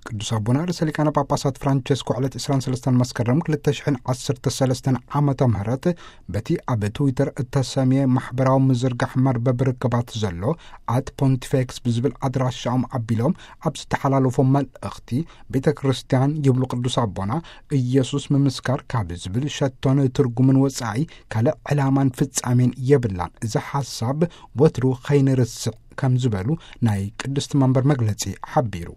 ቅዱስ ኣቦና ርእሰ ሊቃነ ጳጳሳት ፍራንቸስኮ ዕለት ዕስራን ሰለስተን መስከረም ክልተ ሽሕን ዓሰርተ ሰለስተን ዓመተ ምህረት በቲ ኣብ ትዊተር እተሰምየ ማሕበራዊ ምዝርጋሕ መርበብ ርክባት ዘሎ ኣት ፖንቲፌክስ ብዝብል ኣድራሻኦም ኣቢሎም ኣብ ዝተሓላለፎ መልእኽቲ፣ ቤተ ክርስቲያን ይብሉ ቅዱስ ኣቦና፣ ኢየሱስ ምምስካር ካብ ዝብል ሸቶን ትርጉምን ወጻኢ ካልእ ዕላማን ፍጻሜን የብላን። እዚ ሓሳብ ወትሩ ኸይንርስዕ ከም ዝበሉ ናይ ቅድስቲ መንበር መግለጺ ሓቢሩ።